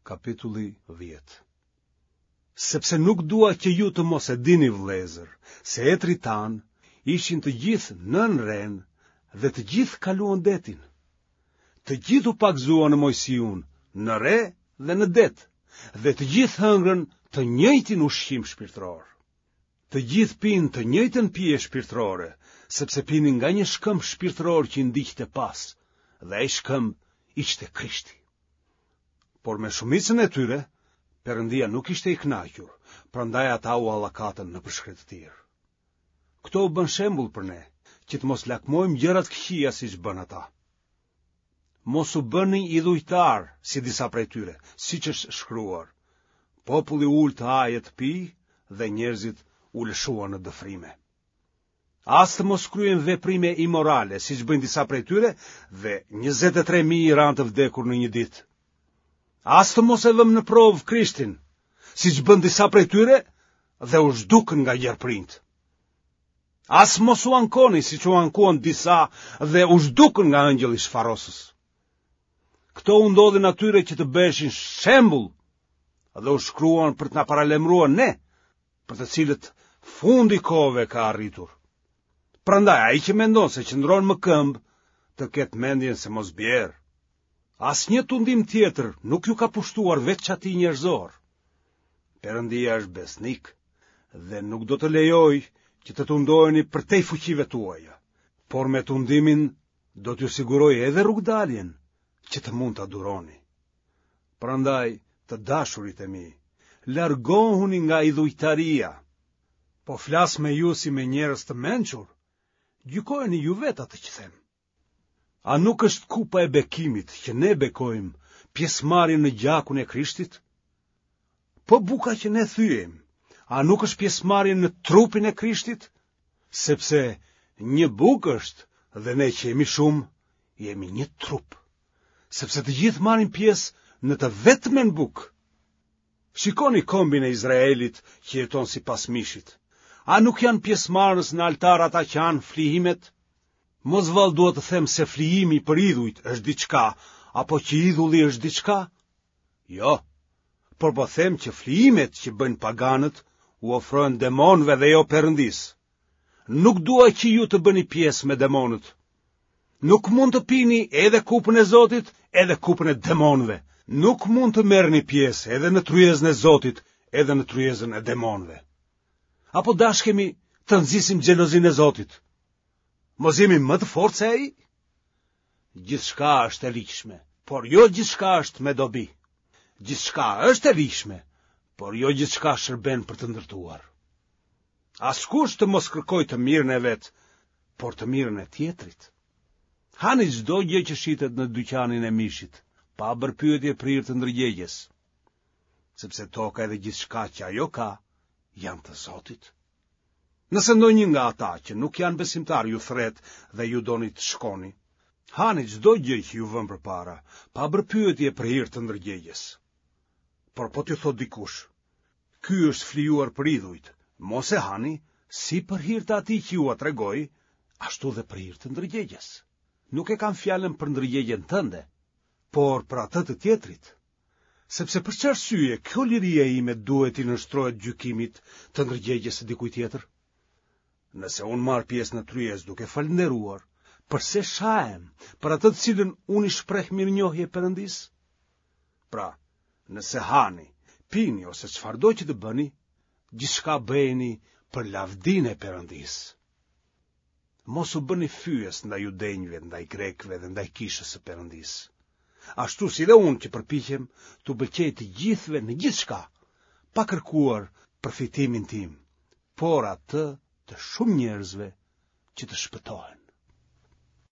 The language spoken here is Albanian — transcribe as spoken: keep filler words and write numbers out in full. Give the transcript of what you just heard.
Kapitulli dhjetë. Sepse nuk dua që ju të mos e dini vëllezër, se etërit tanë ishin të gjithë nën renë dhe të gjithë kaluan detin. Të gjithë u pagëzuan në Moisiun, në re dhe në det, dhe të gjithë hëngrën të njëjtin ushqim shpirtëror. Të gjithë pinë të njëjtën pije shpirtërore, sepse pinin nga një shkëmb shpirtëror që i ndiqte pas, dhe ai shkëmb ishte Krishti. Por me shumicën e tyre, Perëndia nuk ishte i kënaqur, prandaj ata u hallakatën nëpër shkretëtirë. Këto u bënë shembull për ne, që të mos lakmojmë gjëra të këqija siç bënë ata. Mos u bëni idhujtarë, si disa prej tyre, siç është shkruar. Populli u ul të hajë e të pijë dhe njerëzit u lëshuan në dëfrime. As të mos kryejmë veprime imorale, siç bëjnë disa prej tyre, dhe njëzet e tre mijë ranë të vdekur në një ditë. As të mos e vëmë në provë Krishtin, siç bënë disa prej tyre dhe u zhdukën nga gjarpërinjtë. As mos u ankoni, siç u ankuan disa dhe u zhdukën nga engjëlli shfarosës. Këto u ndodhin atyre që të bëheshin shembull dhe u shkruan për të na paralajmëruar ne, për të cilët fundi i kohëve ka arritur. Prandaj ai që mendon se qëndron më këmbë, të ketë mendjen se mos bjerë. Asnjë tundim tjetër nuk ju ka pushtuar veç atij njerëzor. Perëndia është besnik dhe nuk do të lejojë që të tundoheni përtej fuqive tuaja, por me tundimin do t'ju sigurojë edhe rrugëdaljen që të mund ta duroni. Prandaj, të dashurit e mi, largohuni nga idhujtaria. Po flas me ju si me njerëz të mençur, gjykojeni ju vetë atë që them. A nuk është kupa e bekimit që ne bekojmë pjesëmarrje në gjakun e Krishtit? Po buka që ne thyejmë, a nuk është pjesëmarrje në trupin e Krishtit? Sepse një bukë është dhe ne që jemi shumë, jemi një trup. Sepse të gjithë marrin pjesë në të vetmen bukë. Shikoni kombin e Izraelit që jeton sipas mishit. A nuk janë pjesëmarrës në altar ata që hanë flijimet? Mos vallë dua të them se flijimi për idhujt është diçka, apo që idhulli është diçka? Jo, por po them që flijimet që bëjnë paganët u ofrohen demonëve dhe jo Perëndisë. Nuk dua që ju të bëni pjesë me demonët. Nuk mund të pini edhe kupën e Zotit, edhe kupën e demonëve. Nuk mund të merrni pjesë edhe në tryezën e Zotit, edhe në tryezën e demonëve. Apo dashkemi të nxisim xhelozinë e Zotit? Mos jemi më të fortë se ai? Gjithçka është e ligjshme, por jo gjithçka është me dobi. Gjithçka është e ligjshme, por jo gjithçka shërben për të ndërtuar. Askush të mos kërkojë të mirën e vet, por të mirën e tjetrit. Hani çdo gjë që shitet në dyqanin e mishit, pa bërë pyetje për hir të ndërgjegjes, sepse toka edhe gjithçka që ajo ka janë të Zotit. Nëse ndonjë nga ata që nuk janë besimtarë ju thërret dhe ju doni të shkoni, hani çdo gjë që ju vënë përpara, pa bërë pyetje për hir të ndërgjegjes. Por po t'ju thotë dikush, ky është flijuar për idhujt, mos e hani, si për hir të atij që jua tregoi, ashtu dhe për hir të ndërgjegjes. Nuk e kam fjalën për ndërgjegjen tënde, por për atë të tjetrit. Sepse për ç'arsye kjo liria ime duhet t'i nënshtrohet gjykimit të ndërgjegjes së dikujt tjetër? Nëse unë marr pjesë në tryezë duke falënderuar, përse shahem për atë të cilën unë i shpreh mirënjohje Perëndisë? Pra, nëse hani, pini ose çfarëdo që të bëni, gjithçka bëjeni për lavdinë e Perëndisë. Mos u bëni fyes ndaj judenjve, ndaj grekëve dhe ndaj kishës së Perëndisë. Ashtu si dhe unë që përpiqem t'u pëlqej të gjithëve në gjithçka, pa kërkuar përfitimin tim, por atë të shumë njerëzve që të shpëtohen.